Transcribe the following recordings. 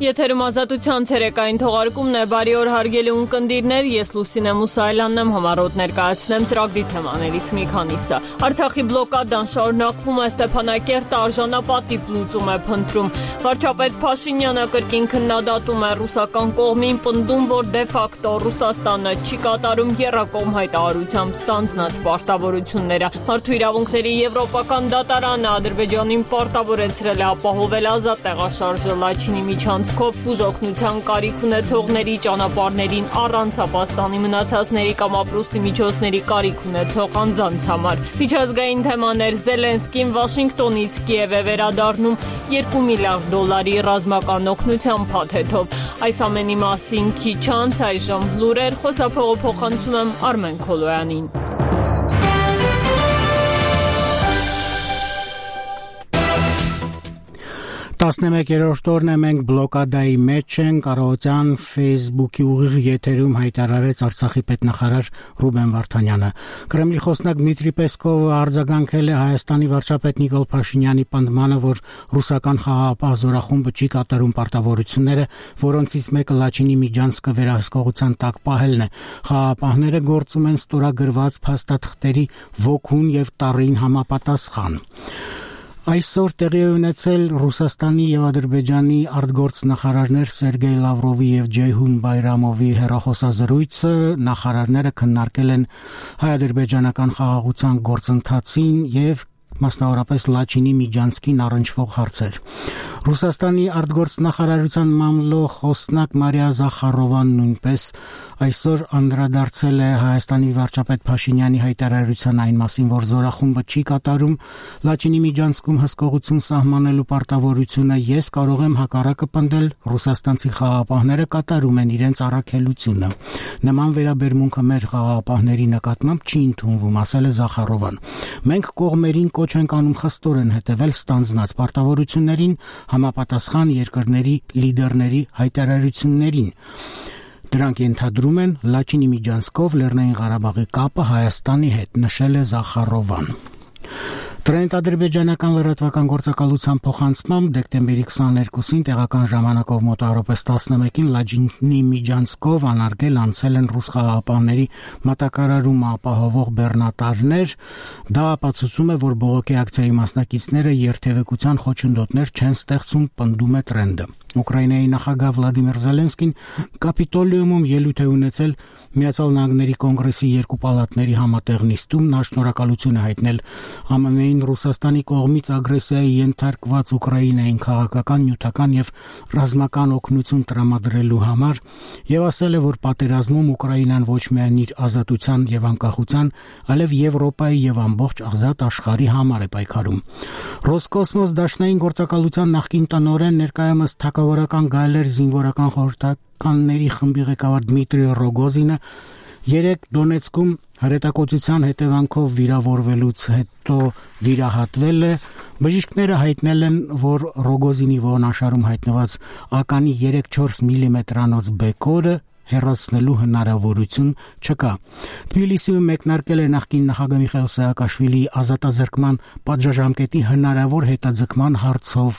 Եթերում ազատության ցերեկային թողարկումն է, բարի օր հարգելի ունկնդիրներ, ես Լուսինե Մուսայելյանն եմ, համառոտ ներկայացնեմ ծրագրի թեմաներից մի քանիսը։ Արցախի բլոկադան շարունակվում է, Ստեփանակերտը արժանապատիվ լուծում է փնտրում։ Վարչապետ Փաշինյանը կրկին քննադատում է ռուսական կողմին, պնդում, որ դե ֆակտո Ռուսաստանը չի կատարում եռակողմ հայտարարությամբ ստանձնած պարտավորությունները։ Մարդու իրավունքների եվրոպական դատարանը Ադրբեջանին պարտավորեցրել է ապահովել ազատ տեղաշարժը Լաչինի միջանցքով բուժօգնության կարիք ունեցողների ճանապարհներին առանց ապաստանի մնացածների կամ ապրուստի միջոցների կարիք ունեցող անձանց համար։ Միջազգային թեմաներ Զելենսկին Վաշինգտոնից Կիև է վերադառնում $2 միլիարդ ռազմական օգնության փաթեթով։ Այս ամենի մասին քիչ անց այժմ լուրեր, խոսափողը փոխանցում եմ Արմեն Քոլոյանին։ 11-րդ օրն է, մենք բլոկադայի մեջ ենք, առավոտյան Facebook-ի ուղիղ եթերում հայտարարեց Արցախի պետնախարար Ռուբեն Վարդանյանը։ Կրեմլի խոսնակ Դմիտրի Պեսկովը արձագանքել է Հայաստանի վարչապետ Նիկոլ Փաշինյանի պնդմանը, որ ռուսական խաղաղապահ զորախումբը չի կատարում պարտավորությունները, որոնցից մեկը Լաչինի միջանցքը վերահսկողության տակ պահելն է։ Խաղաղապահները գործում են ստորագրված փաստաթղթերի ոգուն եւ տառին համապատասխան։ Այսօր տեղի է ունեցել Ռուսաստանի եւ Ադրբեջանի արտգործնախարարներ Սերգեյ Լավրովի եւ Ջեյհուն Բայրամովի հեռախոսազրույցը։ Նախարարները քննարկել են հայ-ադրբեջանական խաղաղության գործընթացին եւ մասնավորապես Լաչինի միջանցքին առնչվող հարցեր։ Ռուսաստանի արտգործնախարարության մամլոյ խոսնակ Մարիա Զախարովան նույնպես այսօր անդրադարձել է Հայաստանի վարչապետ Փաշինյանի հայտարարության այն մասին, որ զորախումբը չի կատարում Լաչինի միջանցքում հսկողություն սահմանելու պարտավորությունը։ Ես կարող եմ հակառակը պնդել, ռուսաստանցի խաղաղապահները կատարում են իրենց առաքելությունը։ Նման վերաբերմունքը մեր խաղաղապահների նկատմամբ չի ընդունվում, ասել է Զախարովան։ Մենք կողմերին կոչ ենք անում խստորեն հետևել ստանձնած պարտավորություններին, համապատասխան երկրների լիդերների հայտարարություններին։ Դրանք ենթադրում են Լաչինի միջանցքով Լեռնային Ղարաբաղի կապը Հայաստանի հետ, նշել է Զախարովան։ Ադրբեջանական լրատվական գործակալության փոխանցմամբ դեկտեմբերի 22-ին տեղական ժամանակով մոտավորապես 11-ին Լաչինի միջանցքով անարգել անցել են ռուս խաղաղապահների մատակարարումը ապահովող բեռնատարներ։ Դա ապացուցում է, որ բողոքի ակցիայի մասնակիցները երթևեկության խոչընդոտներ չեն ստեղծում, պնդում է Տրենդը։ Ուկրաինայի նախագահ Վլադիմիր Զելենսկին Կապիտոլիումում ելույթ է ունեցել Միացյալ Նահանգների կոնգրեսի երկու պալատների համատեղ նիստում։ Նա շնորհակալություն է հայտնել ԱՄՆ-ին Ռուսաստանի կողմից ագրեսիայի ենթարկված Ուկրաինային քաղաքական, նյութական եւ ռազմական օգնություն տրամադրելու համար եւ ասել է, որ պատերազմում Ուկրաինան ոչ միայն իր ազատության եւ անկախության, այլև Եվրոպայի եւ ամբողջ ազատ աշխարհի համար է պայքարում։ Ռոսկոսմոս դաշնային գործակալության նախկին տնօրեն, ներկայումս թագավորական գայլեր զինվորական խորհրդականների խմբի ղեկավար Դմիտրի Ռոգոզինը 3 Դոնեցկում հրետակոծության հետևանքով վիրավորվելուց հետո վիրահատվել է։ Բժիշկները հայտնել են, որ Ռոգոզինի ողնաշարում հայտնված ականի 3-4 մմ-անոց բեկորը հեռացնելու հնարավորություն չկա։ Թբիլիսիում մեկնարկել է նախկին նախագահ Միխայիլ Սահակաշվիլիի ազատազրկման պատժամկետի հնարավոր հետաձգման հարցով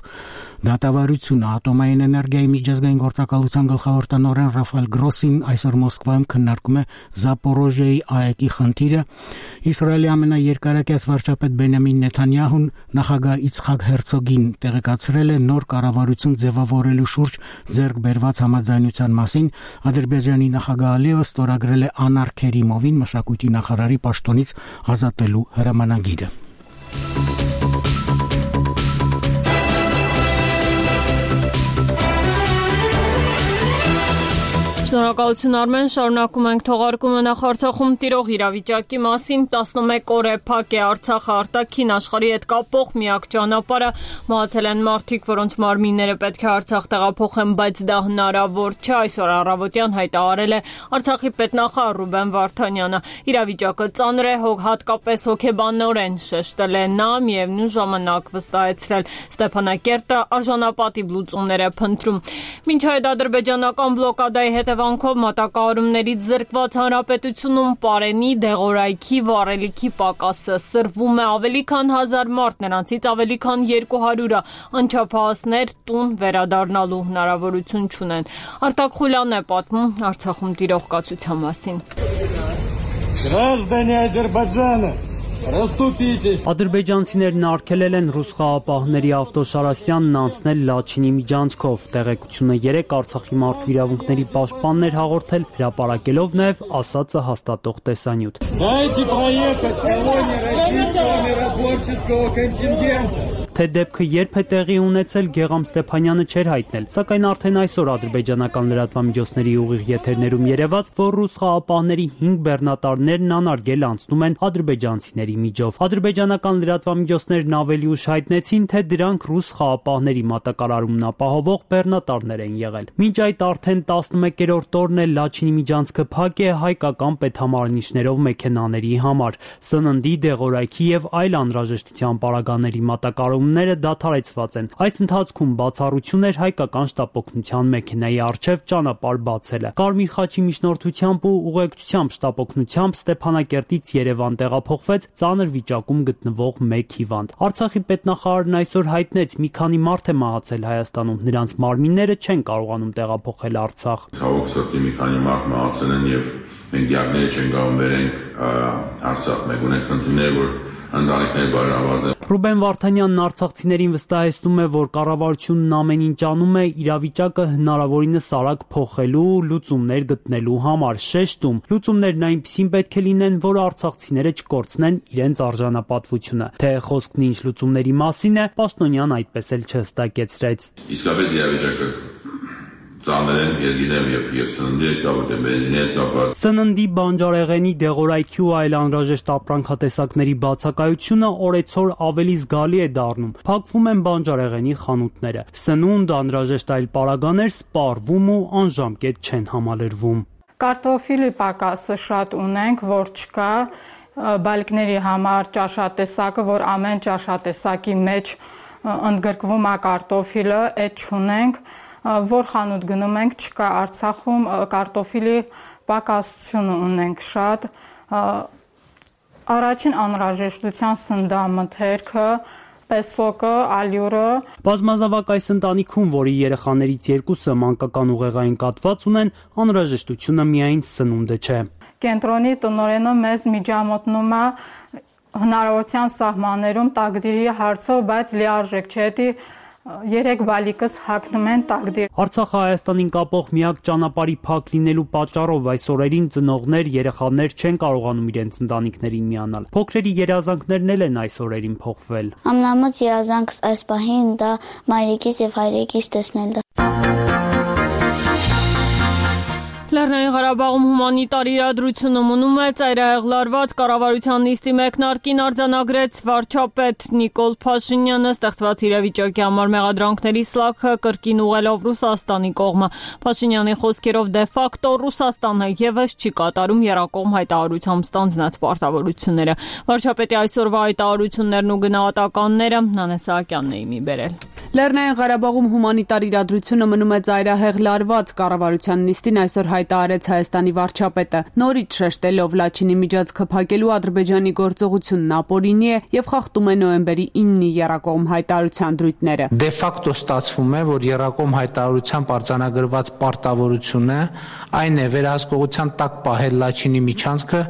դատավարությունը։ Ատոմային էներգիայի միջազգային գործակալության գլխավոր տնօրեն Ռաֆայել Գրոսին այսօր Մոսկվայում քննարկում է Զապորոժիայի ԱԵԿ-ի խնդիրը։ Իսրայելի ամենաերկարակյաց վարչապետ Բենյամին Նեթանյահուն նախագահ Իցխակ Հերցոգին տեղեկացրել է նոր կառավարություն ձևավորելու շուրջ ձեռք բերված համաձայնության մասին։ Ադրբեջանի նախագահ Ալիևը ստորագրել է Անար Քերիմովին մշակույթի նախարարի պաշտոնից ազատելու հրամանագիրը։ Շնորհակալություն Արմեն, շարունակում ենք թողարկումը նախ Արցախում տիրող իրավիճակի մասին։ 11 օր է փակ է Արցախը արտաքին աշխարհի հետ կապող միակ ճանապարհը։ Մահացել են մարդիկ, որոնց մարմինները պետք է Արցախ տեղափոխեն, բայց դա հնարավոր չէ։ Այսօր առավոտյան հայտարարել է Արցախի պետնախարար Ռուբեն Վարդանյանը։ Իրավիճակը ծանր է, հատկապես հոգեբանորեն, շեշտել է նա, միևնույն ժամանակ վստահեցրել Ստեփանակերտը արժանապատիվ լուծումներ է փնտրում։ Մինչ այդ ադրբեջանական բլոկադայի հետևանքով հետևանքով մատակարարումներից զրկված հանրապետությունում պարենի, դեղորայքի, վառելիքի պակասը սրվում է ավելի քան 1000 մարդ, նրանցից ավելի քան 200-ը անչափահասներ տուն վերադառնալու հնարավորություն չունեն։ Արտակ Խուլյանն է պատմում Արցախում տիրող կացության մասին։ Граждане Азербайджана, расступитесь. Ադրբեջանցիներն արգելել են ռուս խաղապահների Ավտոշարասյանն անցնել Լաչինի միջանցքով։ Տեղեկությունը 3 Արցախի մարդու իրավունքների պաշտպանն էր հաղորդել, հրապարակելով նաև ասածը հաստատող տեսանյութ։ Дайте проехать колонне российского миротворческого контингента. Թե դեպքը երբ է տեղի ունեցել, Գեգամ Ստեփանյանը չէր հայտնել, սակայն արդեն այսօր ադրբեջանական լրատվամիջոցների ուղիղ եթերներում երևաց, որ ռուս խաղապահների 5 բեռնատարներն անարգել անցնում են ադրբեջանցիների միջով։ Ադրբեջանական լրատվամիջոցներն ավելի ուշ հայտնեցին, թե դրանք ռուս խաղապահների մատակարարումն ապահովող բեռնատարներ են եղել։ Մինչ այդ արդեն 11-րդ օրն է Լաչինի միջանցքը փակ է հայկական պետհամարնիչներով մեքենաների համար։ Սննդի, դեղորայքի եւ այլ անհրաժեշտության պարագաների մատակարարումները դադարեցված են։ Այս ընթացքում բացառություն էր հայկական շտապօգնության մեքենայի առջև ճանապարհ բացելը։ Կարմիր խաչի միջնորդությամբ ու ուղեկցությամբ շտապօգնությամբ Ստեփանակերտից Երևան տեղափոխվեց ծանր վիճակում գտնվող 1 հիվանդ։ Արցախի պետնախարարն այսօր հայտնեց՝ մի քանի մարդ է մահացել Հայաստանում, նրանց մարմինները չեն կարողանում տեղափոխել Արցախ։ Ցավոք սրտի մի քանի մարդ մահացել են եւ մենք դիագնոզ չեն կարող վերենք Արցախ։ Մենք ունենք խնդիրներ, որ ընտանիքներ բարելաված են։ Ռուբեն Վարդանյանն արցախցիներին վստահեցնում է, որ կառավարությունն ամեն ինչ անում է իրավիճակը հնարավորինս արագ փոխելու, լուծումներ գտնելու համար, շեշտում։ Լուծումներն այնպիսին պետք է լինեն, որ արցախցիները չկորցնեն իրենց արժանապատվությունը։ Թե խոսքն ինչ լուծումների մասին է, Պաշտոնյան այդպես էլ չհստակեցրեց։ Իսկապես իրավիճակը ծանր են, ես գիտեմ, եւ սննդի հետ կապված, բենզինի հետ կապված։ Սննդի, բանջարեղենի, դեղորայքի ու այլ անհրաժեշտ ապրանքատեսակների բացակայությունը օրեցօր ավելի զգալի է դառնում։ Փակվում են բանջարեղենի խանութները։ Սնունդ, անհրաժեշտ այլ պարագաներ սպառվում ու անժամկետ չեն համալրվում։ Կարտոֆիլի պակասը շատ ունենք, որ չկա, բալիկների համար ճաշատեսակը, որ ամեն ճաշատեսակի մեջ ընդգրկվում է կարտոֆիլը, այդ չունենք, որ խանութ գնում ենք, չկա Արցախում կարտոֆիլի պակասություն ունենք շատ, առաջին անհրաժեշտության սննդամթերքը, պեսոկը, ալյուրը։ Բազմազավակ այս ընտանիքում, որի երեխաներից 2-ը մանկական ուղեղային կաթված ունեն, անհրաժեշտությունը միայն սնունդը չէ։ Կենտրոնի տնօրենը մեզ միջամտնում է հնարավորության սահմաններում տակդիրի հարցով, բայց լիարժեք չէ, 3 բալիկս հագնում են տակդիր։ Արցախը Հայաստանին կապող միակ ճանապարհի փակ լինելու պատճառով այս օրերին ծնողներ, երեխաներ չեն կարողանում իրենց ընտանիքներին միանալ։ Փոքրերի երազանքներն էլ են այս օրերին փոխվել։ Ամենամեծ երազանքս այս պահին դա մայրիկից եւ հայրիկից տեսնելն է։ Լեռնային Ղարաբաղում հումանիտար իրադրությունը մնում է ծայրահեղ լարված կառավարության նիստի մեկնարկին արձանագրեց վարչապետ Նիկոլ Փաշինյանը ստեղծված իրավիճակի համար մեղադրանքների սլաքը կրկին ուղղելով Ռուսաստանի կողմը։ Փաշինյանի խոսքերով դե ֆակտո Ռուսաստանը եւս չի կատարում եռակողմ հայտարարությամբ ստանձնած պարտավորությունները։ Վարչապետի այսօրվա հայտարարություններն ու գնահատականները Նանե Սահակյանն է իմի բերել։ Լեռնային Ղարաբաղում հումանիտար իրադրությունը մնում է ծայրահեղ լարված կառավարության նիստին այսօր հայտարարեց Հայաստանի վարչապետը։ Նորից շեշտելով Լաչինի միջանցքը փակելու Ադրբեջանի գործողությունն ապօրինի է եւ խախտում է նոյեմբերի 9-ի եռակողմ հայտարարության դրույթները։ Դե ֆակտո ստացվում է, որ եռակողմ հայտարարությամբ արձանագրված պարտավորությունը այն է վերահսկողության տակ պահել Լաչինի միջանցքը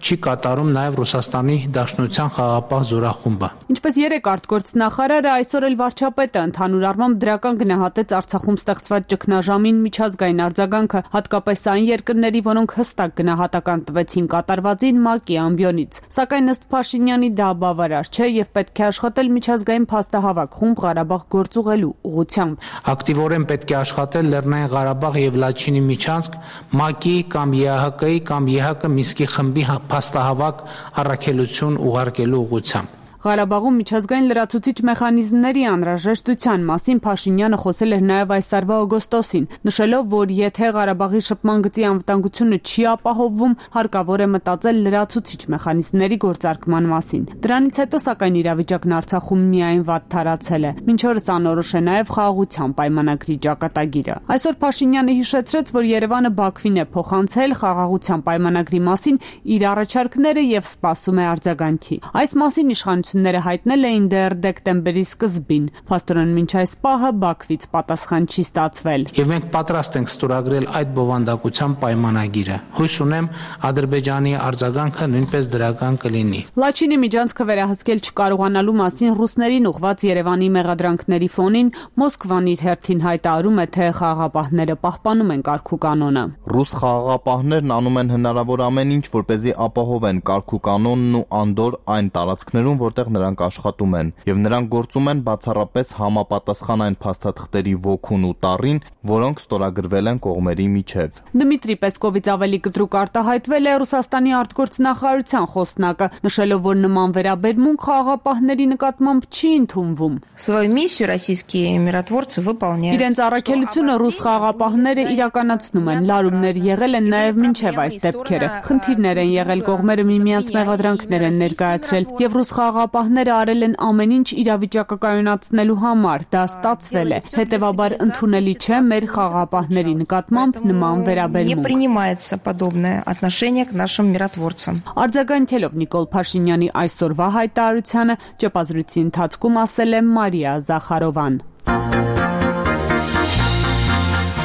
չի կատարում նաև Ռուսաստանի Դաշնության խաղաղապահ զորախումբը։ Ինչպես 3 արտգործնախարարը այսօր էլ վարչապետը ընդհանուր առմամբ դրական գնահատեց Արցախում ստեղծված ճգնաժամին միջազգային արձագանքը, հատկապես այն երկրների, որոնք հստակ գնահատական տվեցին կատարվածին ՄԱԿ-ի ամբիոնից։ Սակայն ըստ Փաշինյանի դա բավարար չէ եւ պետք է աշխատել միջազգային փաստահավաք խումբ Ղարաբաղ գործուղելու ուղղությամբ։ Ակտիվորեն պետք է աշխատել Լեռնային Ղարաբաղ եւ Լաչինի միջանցք ՄԱԿ-ի կամ ԵԱՀԿ-ի կամ ԵՀԿ Մինսկի խմբի փաստահավաք առաքելություն ուղարկելու ուղղությամբ։ Ղարաբաղում միջազգային լրացուցիչ մեխանիզմների անհրաժեշտության մասին Փաշինյանը խոսել էր նաև այս տարվա օգոստոսին, նշելով, որ եթե Ղարաբաղի շփման գծի անվտանգությունը չի ապահովվում, հարկավոր է մտածել լրացուցիչ մեխանիզմների գործարկման մասին։ Դրանից հետո, սակայն, իրավիճակն Արցախում միայն վատ թարացել է։ Մինչ օրս անորոշ է նաև խաղաղության պայմանագրի ճակատագիրը։ Այսօր Փաշինյանը հիշեցրեց, որ Երևանը Բաքվին է փոխանցել խաղաղության պայմանագրի մասին իր առաջարկները եւ սպասում է արձագանքի։ Այս մասին իշխանությունները հայտնել էին դեռ դեկտեմբերի սկզբին։ Փաստորեն մինչ այս պահը Բաքվից պատասխան չի ստացվել։ Եվ մենք պատրաստ ենք ստորագրել այդ բովանդակության պայմանագիրը։ Հույս ունեմ Ադրբեջանի արձագանքը նույնպես դրական կլինի։ Լաչինի միջանցքը վերահսկել չկարողանալու մասին ռուսներին ուղղված Երևանի մեղադրանքների ֆոնին Մոսկվան իր հերթին հայտարարում է, թե խաղաղապահները պահպանում են կարգուկանոնը։ Ռուս խաղաղապահներն անում են հնարավոր ամեն ինչ, որպեսզի ապահովեն կարգուկանոնն ու անդոր այն տարածքներում, որտեղ նրանք աշխատում են, եւ նրանք գործում են բացառապես համապատասխան այն փաստաթղթերի ոգուն ու տառին, որոնք ստորագրվել են կողմերի միջև։ Դմիտրի Պեսկովից ավելի կտրուկ արտահայտվել է Ռուսաստանի արտգործնախարարության խոսնակը, նշելով, որ նման վերաբերմունք խաղաղապահների նկատմամբ չի ընդունվում։ Իրենց առաքելությունը ռուս խաղաղապահները իրականացնում են, լարումներ եղել են նաև մինչև այս դեպքերը։ Խնդիրներ են եղել, կողմերը միմյանց մեղադրանքներ են ներկայացրել, եւ ռուս խաղաղապահները արել են ամեն ինչ իրավիճակը կայունացնելու համար, դա ստացվել է։ Հետևաբար ընդունելի չէ մեր խաղաղապահների նկատմամբ նման վերաբերմունք։ Արձագանքելով Նիկոլ Փաշինյանի այսօրվա հայտարարությանը, ճեպազրույցի ընթացքում ասել է Մարիա Զախարովան։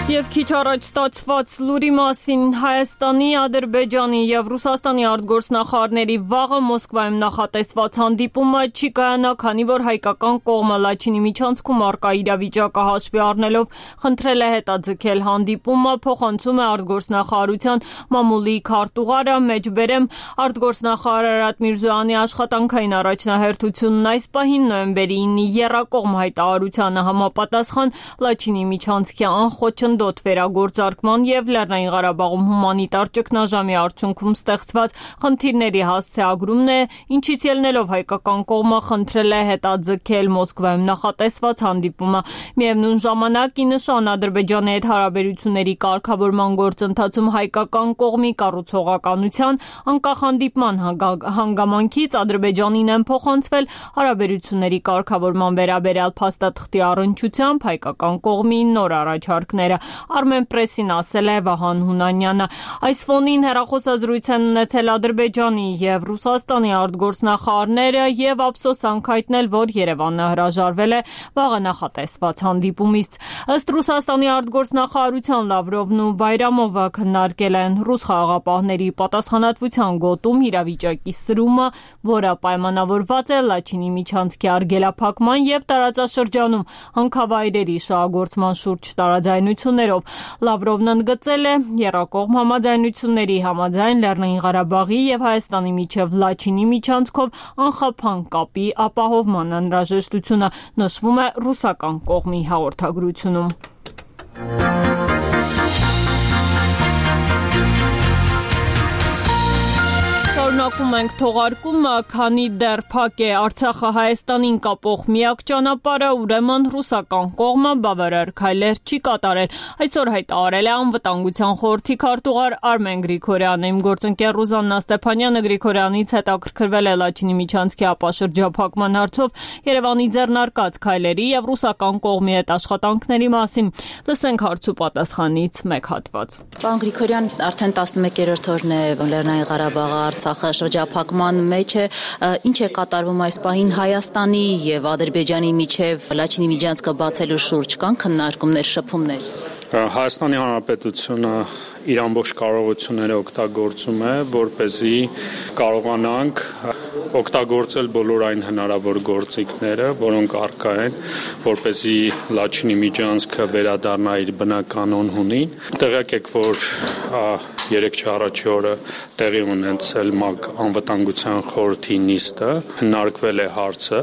Եվ քիչ առաջ ստացված լուրի մասին Հայաստանի, Ադրբեջանի եւ Ռուսաստանի արտգործնախարարների վաղը Մոսկվայում նախատեսված հանդիպումը չի կայանա, քանի որ հայկական կողմը Լաչինի միջանցքում առկա իրավիճակը հաշվի առնելով խնդրել է հետաձգել հանդիպումը, փոխանցում է արտգործնախարարության մամուլի քարտուղարը, մեջբերեմ արտգործնախարար Արարատ Միրզոյանի աշխատանքային առաջնահերթությունն այս պահին նոյեմբերի 9-ի եռակողմ հայտարարությանը համապատասխան Լաչինի միջանցքի անխոչնդոտ վերագործարկման եւ Լեռնային Ղարաբաղում հումանիտար ճգնաժամի արդյունքում ստեղծված խնդիրների հասցեագրումն է, ինչից ելնելով հայկական կողմը խնդրել է հետաձգել Մոսկվայում նախատեսված հանդիպումը։ Միևնույն ժամանակ, ի նշան Ադրբեջանի հետ հարաբերությունների կարգավորման գործընթացում հայկական կողմի կառուցողականության, անկախ հանդիպման հանգամանքից Ադրբեջանին են փոխանցվել հարաբերությունների կարգավորման վերաբերյալ փաստաթղթի առնչությամբ հայկական կողմի նոր առաջարկները։ Armenpress-ին ասել է Վահան Հունանյանը։ Այս ֆոնին հեռախոսազրույց են ունեցել Ադրբեջանի եւ Ռուսաստանի արտգործնախարարները եւ ափսոսանք հայտնել, որ Երևանը հրաժարվել է վաղը նախատեսված հանդիպումից։ Ըստ Ռուսաստանի արտգործնախարարության Լավրովն ու Բայրամովը քննարկել են ռուս խաղաղապահների պատասխանատվության գոտում իրավիճակի սրումը, որը պայմանավորված է Լաչինի միջանցքի արգելափակման եւ տարածաշրջանում հանքավայրերի շահագործման շուրջ տարաձայնություններով։ Լավրովն ընդգծել է եռակողմ համաձայնությունների համաձայն Լեռնային Ղարաբաղի եւ Հայաստանի միջև Լաչինի միջանցքով անխափան կապի ապահովման անհրաժեշտությունը, նշվում է ռուսական կողմի հաղորդագրությունում։ Շարունակում ենք թողարկումը, քանի դեռ փակ է Արցախը Հայաստանին կապող միակ ճանապարհը, ուրեմն ռուսական կողմը բավարար քայլեր չի կատարել։ Այսօր հայտարարել է անվտանգության խորհրդի քարտուղար Արմեն Գրիգորյանը։ Իմ գործընկեր Ռուզաննա Ստեփանյանը Գրիգորյանից հետաքրքրվել է Լաչինի միջանցքի ապաշրջափակման հարցով Երևանի ձեռնարկած քայլերի եւ ռուսական կողմի հետ աշխատանքների մասին։ Լսենք հարց ու պատասխանից մեկ հատված։ Պարոն Գրիգորյան, արդեն 11-րդ օրն է Լեռնային Ղարաբաղը Արցախը շրջափակման մեջ է, ինչ է կատարվում այս պահին Հայաստանի եւ Ադրբեջանի միջև Լաչինի միջանցքը բացելու շուրջ կան քննարկումներ, շփումներ։ Հայաստանի Հանրապետությունը իր ամբողջ կարողությունները օգտագործում է, որպեսզի կարողանանք օգտագործել բոլոր այն հնարավոր գործիքները, որոնք առկա են, որպեսզի Լաչինի միջանցքը վերադառնա իր բնականon հունին։ Տեղյակ եք, որ 3 առաջի օրը տեղի ունեցել ՄԱԿ անվտանգության խորհրդի նիստը, հնարքվել է հարցը,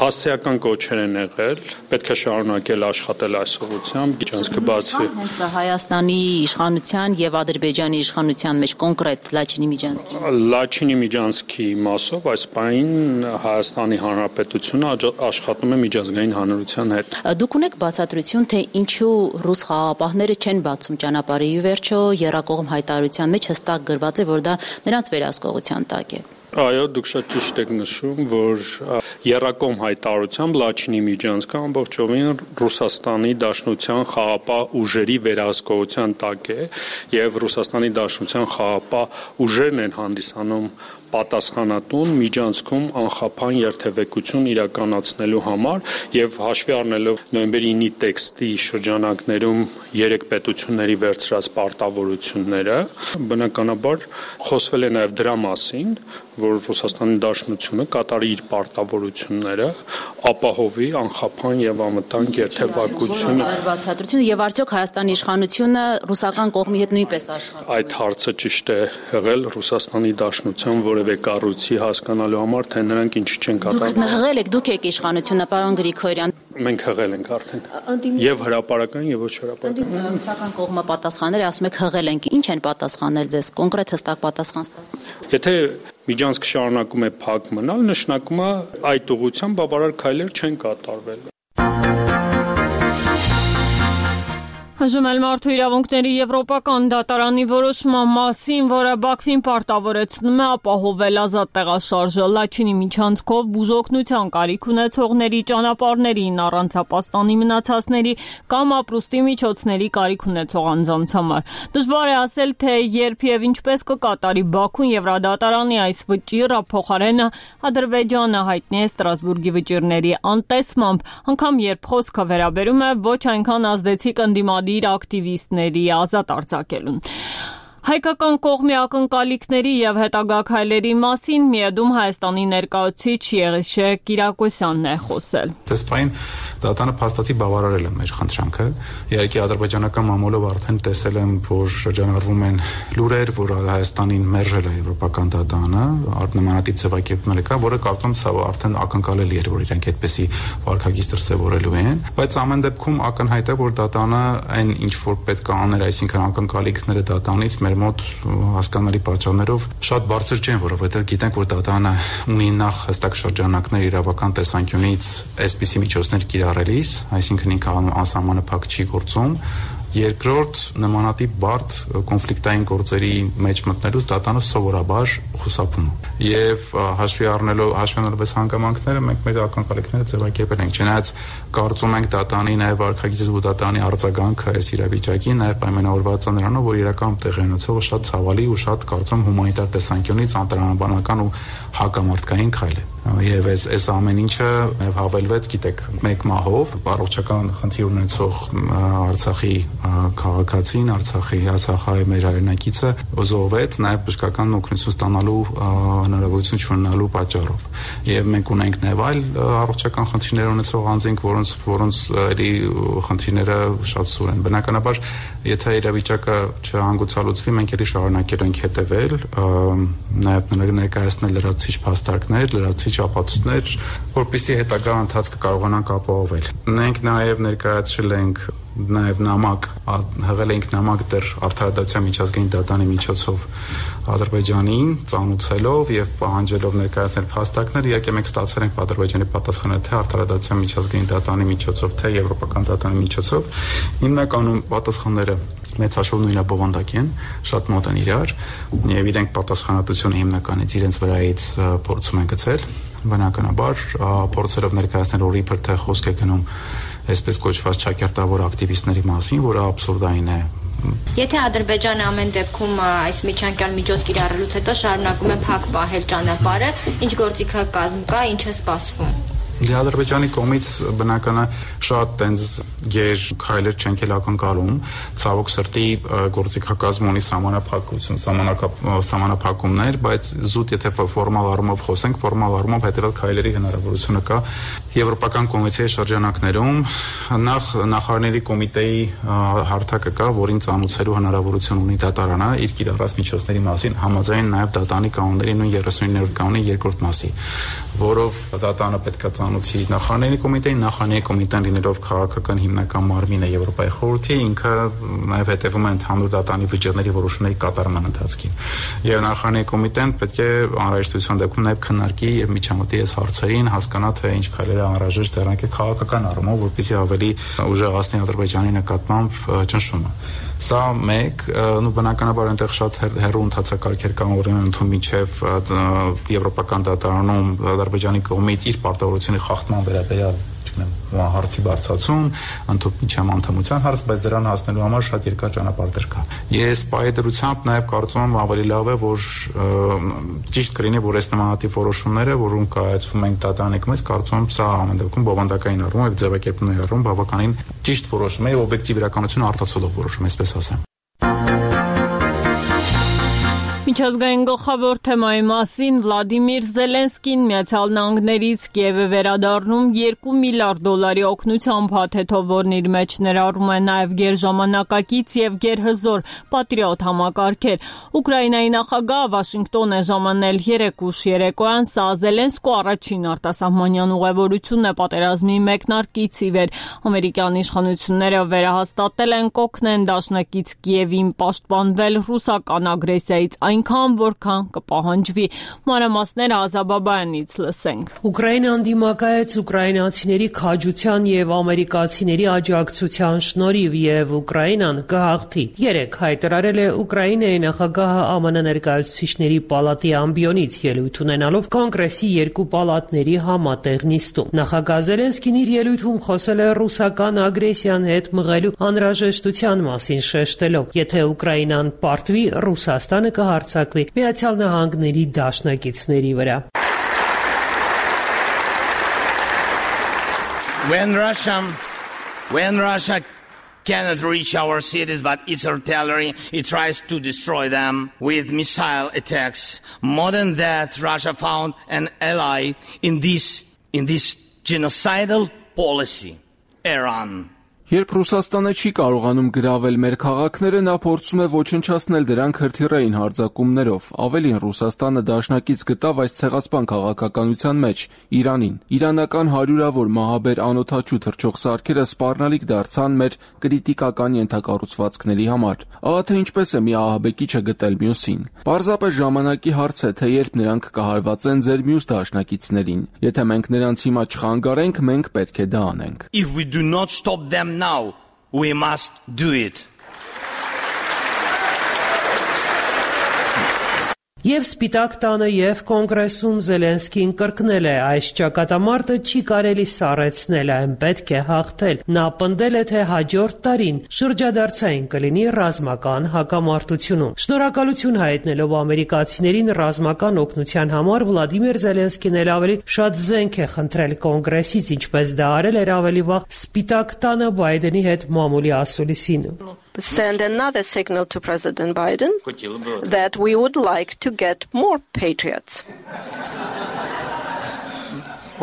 հասցեական կոչեր են եղել, պետք է շարունակել աշխատել այս ուղղությամբ, միջանցքը բացվի։ Հենց Հայաստանի իշխանության եւ Ադրբեջանի իշխանության մեջ կոնկրետ Լաչինի Միջանցքի։ Լաչինի Միջանցքի մասով այս պահին Հայաստանի Հանրապետությունը աշխատում է միջազգային հանրության հետ։ Դուք ունեք բացատրություն, թե ինչու ռուս խաղաղապահները չեն բացում ճանապարհի վերջո երրակողմ հայտարարության մեջ հստակ գրված է, որ դա նրանց վերահսկողության տակ է։ Այո, դուք շատ ճիշտ եք նշում, որ երրակողմ հայտարարությամբ Լաչինի Միջանցքը ամբողջովին Ռուսաստանի Դաշնության խաղաղապահ ուժերի վերահսկողության տակ է եւ Ռուսաստանի Դաշնության խաղաղապահ ուժերն են հանդիսանում պատասխանատուն Միջանցքում անխափան երթևեկություն իրականացնելու համար եւ հաշվի առնելով նոյեմբերի 9-ի տեքստի շրջանակներում երեք պետությունների վերցրած պարտավորությունները, բնականաբար խոսվել է նաեւ դրա մասին, որ Ռուսաստանի Դաշնությունը կատարի իր պարտավորությունները, ապահովի անխափան եւ անվտանգ երթևեկությունը։ Բացատրությունը եւ արդյոք Հայաստանի իշխանությունը ռուսական կողմի հետ նույնպես աշխատում։ Այդ հարցը ճիշտ է եղել Ռուսաստանի Դաշնության որևէ կառույցի հասկանալու համար, թե նրանք ինչի չեն կատարում։ Դուք հղել եք, դուք եք իշխանությունը, պարոն Գրիգորյան։ Մենք հղել ենք արդեն։ Եվ հրապարական եւ ոչ հրապարական։ Ռուսական կողմը պատասխանել է, ասում եք հղել ենք։ Ինչ են պատասխանել ձեզ, կոնկրետ հստակ պատասխան ստացել։ Եթե Միջանցքը շարունակում է փակ մնալ, նշանակում է այդ ուղղությամբ բավարար քայլեր չեն կատարվել։ Հաջում էլ մարդու իրավունքների Եվրոպական դատարանի որոշման մասին, որը Բաքվին պարտավորեցնում է ապահովել ազատ տեղաշարժը Լաչինի միջանցքով բուժօգնության կարիք ունեցողների, ճանապարհներին առանց ապաստանի մնացածների կամ ապրուստի միջոցների կարիք ունեցող անձանց համար։ Դժվար է ասել, թե երբ եւ ինչպես կկատարի Բաքուն Եվրադատարանի այս վճիռը, փոխարենը Ադրբեջանը հայտնի է Ստրասբուրգի վճիռների անտեսմամբ, անգամ երբ խոսքը վերաբերում է ոչ այնքան ազդեցիկ ընդդիմադիր ակտիվիստների ազատ արձակելուն։ Հայկական կողմի ակնկալիքների եւ հետագա քայլերի մասին Միեդում Հայաստանի ներկայացուցիչ Եղիշե Կիրակոսյանն է խոսել։ Դեսպայն դատարանը փաստացի բավարարել է մեր խնդրանքը։ Իհարկե ադրբեջանական մամուլով արդեն տեսել եմ, որ շրջանառվում են լուրեր, որ Հայաստանին մերժել է Եվրոպական դատարանը, նմանատիպ ձևակերպումներ կա, որը կարծում եմ արդեն ակնկալելի էր, որ իրենք այդպեսի վարքագիծ դրսևորելու են, բայց ամեն դեպքում ակնհայտ է, որ դատարանը այն ինչ որ պետք է աներ, այսինքն ակնկալիքները դատարանից մեր մոտ հասկանալի պատճառներով շատ բարձր չեն, որովհետև գիտենք, որ դատարանը ունի նախ հստակ շրջանակներ իրավական տեսանկյունից այսպիսի միջոցներ կիրառելիս, այսինքն ինքը անսահմանափակ չի գործում։ Երկրորդ, նմանատիպ բարդ կոնֆլիկտային գործերի մեջ մտնելուց դատարանը սովորաբար խուսափում է։ Եվ հաշվի առնելով այս հանգամանքները մենք մեր ակնկալիքները ձևակերպել ենք։ Չնայած կարծում ենք դատարանի նաև վարքագիծի ու դատարանի արձագանքը այս իրավիճակին նաև պայմանավորված է նրանով, որ իրական տեղի ունեցողը շատ ցավալի ու շատ կարծում հումանիտար տեսանկյունից անտրամաբանական ու հակամարտկային քայլ է։ Եվ այս ամեն ինչը հավելվեց, գիտեք, մեկ մահով առողջական խնդիր ունեցող Արցախի քաղաքացին, Արցախի մեր հայրենակիցը զոհվեց նաև բժշկական օգնություն ստանալու հնարավորություն չունենալու պատճառով։ Եվ մենք ունենք նաև այլ առողջական խնդիրներ ունեցող անձինք, որոնց էլի խնդիրները շատ սուր են։ Բնականաբար, եթե իրավիճակը չհանգուցալուծվի, մենք էլի շարունակել ենք հետևել, նաև ներկայացնել լրացուցիչ փաստարկներ, լրացուցիչ ապացույցներ, որպեսզի հետագա ընթացքը կարողանանք ապահովել։ Մենք նաև ներկայացրել ենք նամակ, հղել ենք նամակ դեռ Արդարադատության միջազգային դատարանի միջոցով Ադրբեջանին, ծանուցելով եւ պահանջելով ներկայացնել փաստարկներ, իհարկե մենք ստացել ենք Ադրբեջանի պատասխանը թե Արդարադատության միջազգային դատարանի միջոցով, թե Եվրոպական դատարանի միջոցով։ Հիմնականում պատասխանները մեծ հաշվով նույնաբովանդակ են, շատ մոտ են իրար, եւ իրենք պատասխանատվությունը հիմնականից իրենց վրայից փորձում են գցել։ Բնականաբար, փորձելով ներկայացնել, որ իբր թե խոսք է գնում այսպես կոչված ճակերտավոր ակտիվիստների մասին, որը աբսուրդային է։ Եթե Ադրբեջանը ամեն դեպքում այս միջանկյալ միջոց կիրառելուց հետո շարունակում է փակ պահել ճանապարհը, ինչ գործիքակազմ կա, ինչ է սպասվում։ Ադրբեջանի կողմից բնականը շատ տենց գեր քայլեր չենք էլ ակնկալում, ցավոք սրտի գործիքակազմ ունի սահմանափակումներ, բայց զուտ եթե ֆորմալ առումով խոսենք, ֆորմալ առումով հետևել քայլերի հնարավորությունը կա Եվրոպական կոնվենցիայի շրջանակներում, նախարարների կոմիտեի հարթակը կա, որին ծանուցելու հնարավորություն ունի դատարանը իր կիրառած միջոցների մասին, համաձայն նաև դատարանի կանոնների նույն 39-րդ կանոնի երկրորդ մասի, որով դատարանը պետք է խորհրդանոցի նախարարների կոմիտեին, նախարարների կոմիտեն լինելով քաղաքական հիմնական մարմինը Եվրոպայի խորհրդի, ինքը նաև հետևում է ընդհանուր դատարանի վճիռների որոշումների կատարման ընթացքին։ Եվ նախարարների կոմիտեն պետք է անհրաժեշտության դեպքում նաև քննարկի եւ միջամտի այս հարցերին, հասկանա թե ինչ քայլեր է անհրաժեշտ ձեռնարկել քաղաքական առումով, որպեսզի ավելի ուժեղացնի Ադրբեջանի նկատմամբ ճնշումը։ Սա մեկ, բնականաբար այնտեղ շատ հեռու ընթացակարգեր կան, օրինակ ընդհանուր միջև եվրոպական դատարանում Ադրբեջանի կողմից իր պարտավորությունների խախտման վերաբերյալ հարցի բարձրացում, ընդհանուր անդամության հարց, բայց դրան հասնելու համար շատ երկար ճանապարհ կա։ Ես պայդրությամբ նաև կարծում եմ ավելի լավ է, որ ճիշտ կլինի, որ այս նմանատիպ որոշումները, որոնք կայացվում են դատարանի կողմից, կարծում եմ սա ամեն դեպքում բովանդակային առումով եւ ձևակերպումների առումով բավականին ճիշտ որոշում է, օբյեկտիվ իրականությունը արտացոլող որոշում, այսպես ասեմ։ Միջազգային գլխավոր թեմայի մասին Վլադիմիր Զելենսկին Միացյալ Նահանգներից Կիևը վերադառնում $2 միլիարդ օգնության փաթեթով, որն իր մեջ ներառում է նաև գերժամանակակից եւ գերհզոր պատրիոտ համակարգեր։ Ուկրաինայի նախագահը Վաշինգտոն է ժամանել 3 ուշ երեկոյան, սա Զելենսկու առաջին արտասահմանյան ուղևորությունն է պատերազմի մեկնարկից ի վեր։ Ամերիկյան իշխանությունները վերահաստատել են կօգնեն դաշնակից Կիևին պաշտպանվել ռուսական ագրեսիայից այնքան, որքան կպահանջվի։ Մանրամասները Ազաբաբայանից լսենք։ Ուկրաինան դիմակայեց ուկրաինացիների քաջության եւ ամերիկացիների աջակցության շնորհիվ եւ Ուկրաինան կհաղթի։ 3 հայտարարել է Ուկրաինայի նախագահը ԱՄՆ ներկայացուցիչների պալատի ամբիոնից ելույթ ունենալով կոնգրեսի 2 պալատների համատեղ նիստում։ Նախագահ Զելենսկին իր ելույթում խոսել է ռուսական ագրեսիան հետ մղելու անհրաժեշտության մասին, շեշտելով. եթե Ուկրաինան պարտվի, Ռուսաստանը կհարձակվի Միացյալ Նահանգների դաշնակիցների վրա։ When Russia cannot reach our cities, but its artillery, it tries to destroy them with missile attacks. More than that, Russia found an ally in this genocidal policy, Iran. Երբ Ռուսաստանը չի կարողանում գրավել մեր քաղաքները, նա փորձում է ոչնչացնել դրանք հրթիռային հարձակումներով։ Ավելին, Ռուսաստանը դաշնակից գտավ այս ցեղասպան քաղաքականության մեջ Իրանին։ Իրանական հարյուրավոր մահաբեր անօդաչու թռչող սարքերը սպառնալիք դարձան մեր կրիտիկական ենթակառուցվածքների համար։ Ահա թե ինչպես է մի ահաբեկիչը գտել մյուսին։ Պարզապես ժամանակի հարց է, թե երբ նրանք կհարվածեն ձեր մյուս դաշնակիցներին։ Եթե մենք նրանց հիմա չխանգարենք, մենք պետք է դա անենք։ If we do not stop them now, we must do it. Եվ Սպիտակ տանը եւ կոնգրեսում Զելենսկին կրկնել է. այս ճակատամարտը չի կարելի սառեցնել, այն պետք է հաղթել։ Նա պնդել է, թե հաջորդ տարին շրջադարձային կլինի ռազմական հակամարտությունում։ Շնորհակալություն հայտնելով ամերիկացիներին ռազմական օգնության համար, Վլադիմիր Զելենսկին էլ ավելի շատ զենք է խնդրել կոնգրեսից, ինչպես դա արել էր ավելի վաղ Սպիտակ տանը Բայդենի հետ մամուլի ասուլիսին։ Send another signal to President Biden that we would like to get more patriots.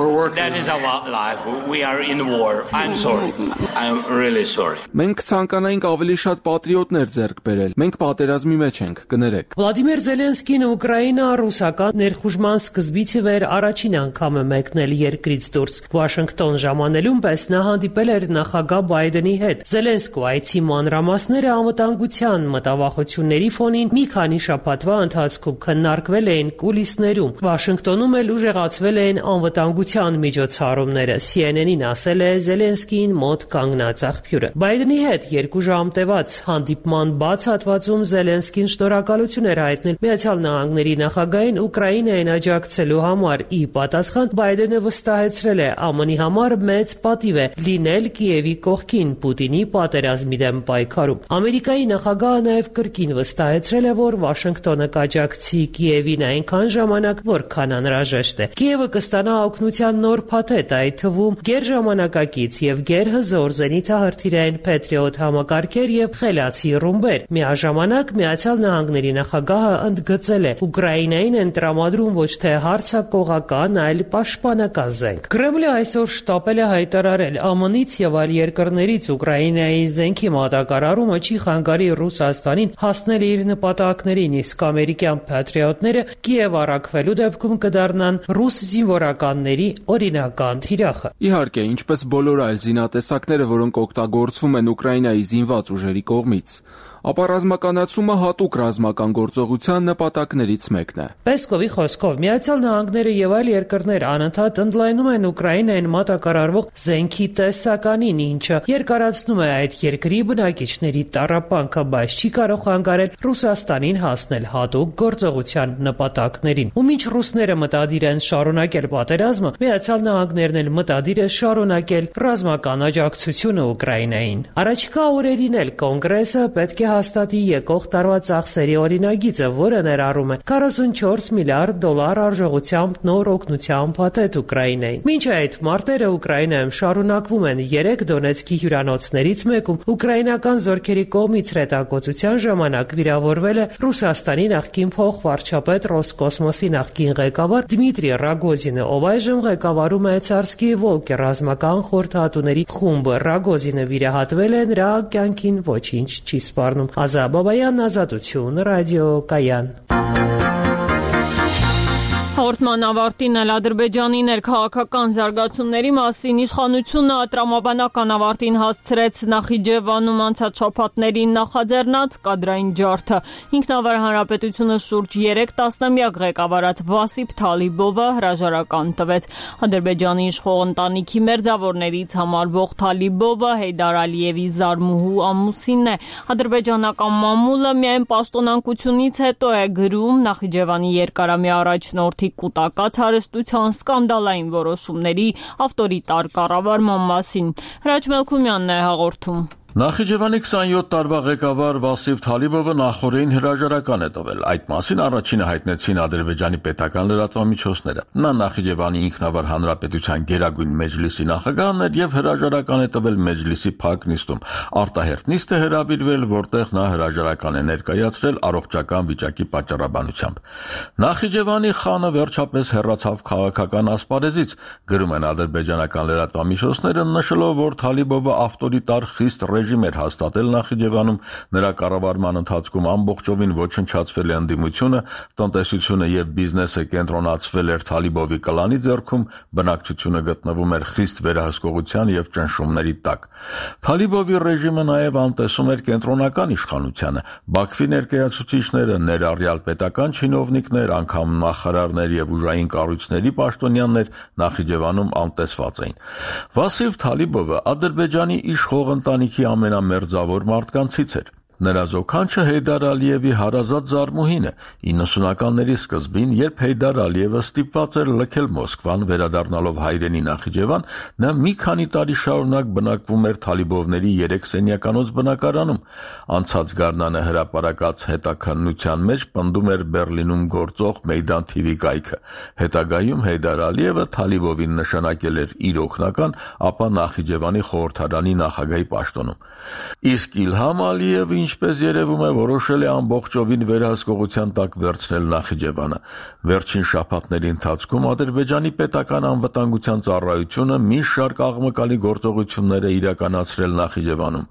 That is our life. We are in war. I'm sorry. I'm really sorry. Մենք ցանկանայինք ավելի շատ պատրիոտներ ձեռք բերել։ Մենք պատերազմի մեջ ենք, կներեք։ Վլադիմիր Զելենսկին Ուկրաինա ռուսական ներխուժման սկզբից ի վեր առաջին անգամ է մեկնել երկրից դուրս։ Վաշինգտոն ժամանելուն պես նա հանդիպել էր նախագահ Բայդենի հետ։ Զելենսկու այցի մանրամասները անվտանգության մտավախությունների ֆոնին մի քանի շաբաթվա ընթացքում քննարկվել էին կուլիսներում։ Վաշինգտոնում էլ ուժեղացվել էին անվտանգության միջոցառումները։ CNN-ին ասել է Զելենսկին մոտ կանգնած աղբյուրը։ Բայդենի հետ 2 ժամ տևած հանդիպման բաց հատվածում Զելենսկին շնորհակալություն էր հայտնել Միացյալ Նահանգների նախագահին Ուկրաինային աջակցելու համար։ Ի պատասխան Բայդենը վստահեցրել է ԱՄՆ-ի համար մեծ պատիվ է լինել Կիևի կողքին Պուտինի պատերազմի դեմ պայքարում։ Ամերիկայի նախագահը նաև կրկին վստահեցրել է, որ Վաշինգտոնը կաջակցի Կիևին այնքան ժամանակ, որքան անհրաժեշտ է։ Կիևը կստանա օգնության նոր փաթեթ, այդ թվում գերժամանակակից եւ գերհզոր զենիթահրթիռային Patriot համակարգեր եւ խելացի ռումբեր։ Միաժամանակ Միացյալ Նահանգների նախագահը ընդգծել է. Ուկրաինային են տրամադրում ոչ թե հարձակողական, այլ պաշտպանական զենք։ Կրեմլը այսօր շտապել է հայտարարել ԱՄՆ-ից եւ այլ երկրներից Ուկրաինայի զենքի մատակարարումը չի խանգարի Ռուսաստանին հասնել իր նպատակներին, իսկ ամերիկյան Patriot-ները Կիև առաքվելու դեպքում կդառնան ռուս զինվորականների զենքերի օրինական թիրախը։ Իհարկե, ինչպես բոլոր այլ զինատեսակները, որոնք օգտագործվում են Ուկրաինայի զինված ուժերի կողմից, ապա ռազմականացումը հատուկ ռազմական գործողության նպատակներից մեկն է։ Պեսկովի խոսքով Միացյալ Նահանգները եւ այլ երկրներ անընդհատ ընդլայնում են Ուկրաինային մատակարարվող զենքի տեսականին, ինչը երկարացնում է այդ երկրի բնակիչների տառապանքը, բայց չի կարող հանգարել Ռուսաստանին հասնել հատուկ գործողության նպատակներին։ Ու մինչ ռուսները մտադիր են շարունակել պատերազմը, Միացյալ Նահանգներն էլ մտադիր է շարունակել ռազմական աջակցությունը Ուկրաինային։ Առաջիկա օրերին էլ Կոնգրեսը պետք է հաստատի եկող տարվա ծախսերի օրինագիծը, որը ներառում է 44 միլիարդ դոլար արժողությամբ նոր օգնության փաթեթ Ուկրաինային։ Մինչ այդ մարտերը Ուկրաինայում շարունակվում են, 3 Դոնեցկի հյուրանոցներից մեկում ուկրաինական զորքերի կողմից հրետակոծության ժամանակ վիրավորվել է Ռուսաստանի նախկին փոխվարչապետ Ռոսկոսմոսի նախկին ղեկավար Դմիտրի Ռագոզինը, ով այժմ ղեկավարում է Ցարսկի Վոլկե ռազմական խորհրդատուների խումբը։ Ռագոզինը վիրահատվել է, նրա կյանքին ոչինչ չի սպառնում։ Ազատ Բաբայան, Ազատություն, Ռադիո Կայան։ Հաղորդման ավարտին էլ Ադրբեջանի ներքաղաքական զարգացումների մասին իշխանությունը տրամաբանական ավարտին հասցրեց Նախիջևանում անցած շաբաթներին նախաձեռնած կադրային ջարդը։ Ինքնավար հանրապետությունը շուրջ 3 տասնամյակ ղեկավարած Վասիփ Թալիբովը հրաժարական տվեց։ Ադրբեջանի իշխող ընտանիքի մերձավորներից համարվող Թալիբովը Հեյդար Ալիևի զարմուհու ամուսինն է։ Ադրբեջանական մամուլը միայն պաշտոնանկությունից հետո է գրում Նախիջևանի երկարամյա առաջնորդի կուտակած հարստության սկանդալային որոշումների ավտորիտար կառավարման մասին։ Հրաչ Մելքումյանն է հաղորդում։ Նախիջևանի 27 տարվա ղեկավար Վասիփ Թալիբովը նախորդին հրաժարական է տվել։ Այդ մասին առաջինը հայտնեցին Ադրբեջանի պետական լրատվամիջոցները։ Նա Նախիջևանի ինքնավար հանրապետության գերագույն մեջլիսի նախագահն էր եւ հրաժարական է տվել մեջլիսի փակ նիստում։ Արտահերթ նիստ է հրավիրվել, որտեղ նա հրաժարական է ներկայացրել առողջական վիճակի պատճառաբանությամբ։ Նախիջևանի խանը վերջապես հեռացավ քաղաքական ասպարեզից, գրում են ադրբեջանական լրատվամիջոցները, նշելով, որ Թալիբովը ավտորիտար խիստ ռեժիմ էր հաստատել Նախիջևանում, նրա կառավարման ընթացքում ամբողջովին ոչնչացվել է ընդդիմությունը, տնտեսությունը եւ բիզնեսը կենտրոնացվել էր Թալիբովի կլանի ձեռքում, բնակչությունը գտնվում էր խիստ վերահսկողության եւ ճնշումների տակ։ Թալիբովի ռեժիմը նաեւ անտեսում էր կենտրոնական իշխանությանը, Բաքվի ներկայացուցիչները, ներառյալ պետական չինովնիկներ, անգամ նախարարներ եւ ուժային կառույցների պաշտոնյաներ Նախիջևանում անտեսված էին։ Վասիփ Թալիբովը Ադրբեջանի իշխող ընտանիքի ամենամերձավոր մարդկանցից էր։ Նրա զոքանչը Հեյդար Ալիևի հարազատ զարմուհին է։ 90-ականների սկզբին, երբ Հեյդար Ալիևը ստիպված էր լքել Մոսկվան, վերադառնալով հայրենի Նախիջևան, նա մի քանի տարի շարունակ բնակվում էր Թալիբովների 3 սենյականոց բնակարանում։ Անցած գարնանը հրապարակած հետաքննության մեջ պնդում էր Բերլինում գործող Մեյդան TV կայքը։ Հետագայում Հեյդար Ալիևը Թալիբովին նշանակել էր իր օգնական, ապա Նախիջևանի խորհրդարանի նախագահի պաշտոնում։ Իսկ Իլհամ Ալիևը, ինչպես երևում է, որոշել է ամբողջովին վերահսկողության տակ վերցնել Նախիջևանը։ Վերջին շաբաթների ընթացքում Ադրբեջանի պետական անվտանգության ծառայությունը մի շարք աղմկալի գործողություններ է իրականացրել Նախիջևանում։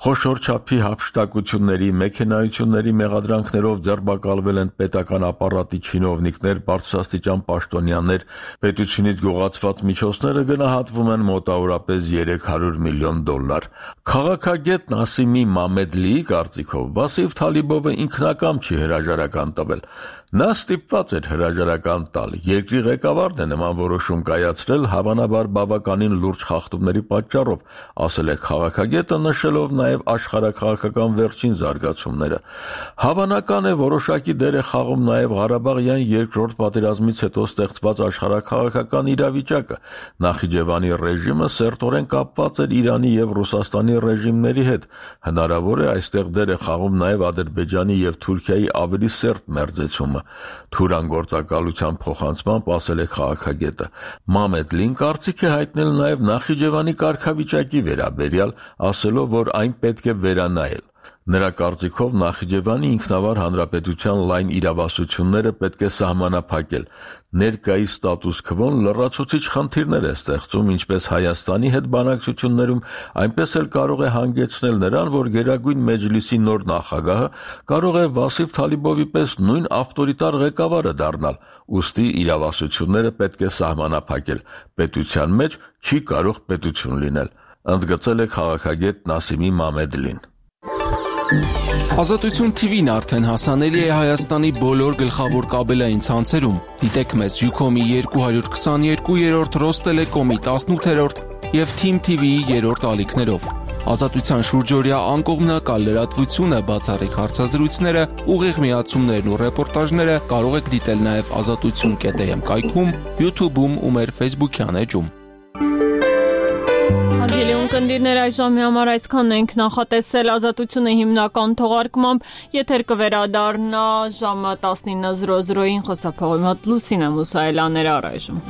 Խոշոր չափի հափշտակությունների, մեքենայությունների մեղադրանքներով ձերբակալվել են պետական ապարատի չինովնիկներ, բարձրաստիճան պաշտոնյաներ, պետությունից գողացված միջոցները գնահատվում են մոտավորապես $300 միլիոն։ Քաղաքագետ Նասիմի Մամեդլիի կարծիքով Վասիփ Թալիբովը ինքնակամ չի հրաժարական տվել։ Նա ստիպված էր հրաժարական տալ։ Երկրի ղեկավարն է նման որոշում կայացրել հավանաբար բավականին լուրջ խախտումների պատճառով, ասել է քաղաքագետը, նշելով նաև աշխարհաքաղաքական վերջին զարգացումները։ Հավանական է որոշակի դեր է խաղում նաև Ղարաբաղյան երկրորդ պատերազմից հետո ստեղծված աշխարհաքաղաքական իրավիճակը։ Նախիջևանի ռեժիմը սերտորեն կապված էր Իրանի եւ Ռուսաստանի ռեժիմների հետ։ Հնարավոր է այստեղ դեր է խաղում նաև Ադրբեջանի եւ Թուրքիայի ավելի սերտ մերձեցումը։ Թուրան գործակալության փոխանցմամբ ասել է քաղաքագետը։ Մամեդլին կարծիք է հայտնել նաև Նախիջևանի կարգավիճակի վերաբերյալ, ասելով, որ այն պետք է վերանայել։ Նրա կարծիքով Նախիջևանի ինքնավար հանրապետության լայն իրավասությունները պետք է սահմանափակել։ Ներկայիս ստատուս քվոն լրացուցիչ խնդիրներ է ստեղծում ինչպես Հայաստանի հետ բանակցություններում, այնպես էլ կարող է հանգեցնել նրան, որ Գերագույն Մեջլիսի նոր նախագահը կարող է Վասիֆ Թալիբովի պես նույն ավտորիտար ղեկավարը դառնալ։ Ուստի իրավասությունները պետք է սահմանափակել։ Պետության մեջ չի կարող պետություն լինել, ընդգծել է քաղաքագետ Նասիմի Մամեդլին։ Ազատություն TV-ն արդեն հասանելի է Հայաստանի բոլոր գլխավոր կաբելային ցանցերում։ Դիտեք մեզ Ucom-ի 222-րդ, Ռոստելեկոմի 18-րդ եւ Team TV-ի 3-րդ ալիքներով։ Ազատության շուրջօրյա անկողմնակալ լրատվությունը, բացառիկ հարցազրույցները, ուղիղ միացումներն ու ռեպորտաժները կարող եք դիտել նաեւ azatutsun.am կայքում, YouTube-ում ու մեր Facebook-յան էջում։ Հարգելի ունկնդիրներ, այս ժամի համար այսքանն ենք նախատեսել Ազատությունը հիմնական թողարկմամբ, եթեր կվերադառնա ժամը 19:00-ին խոսափողի մոտ Լուսինե Մուսայելյաներ առայժմ։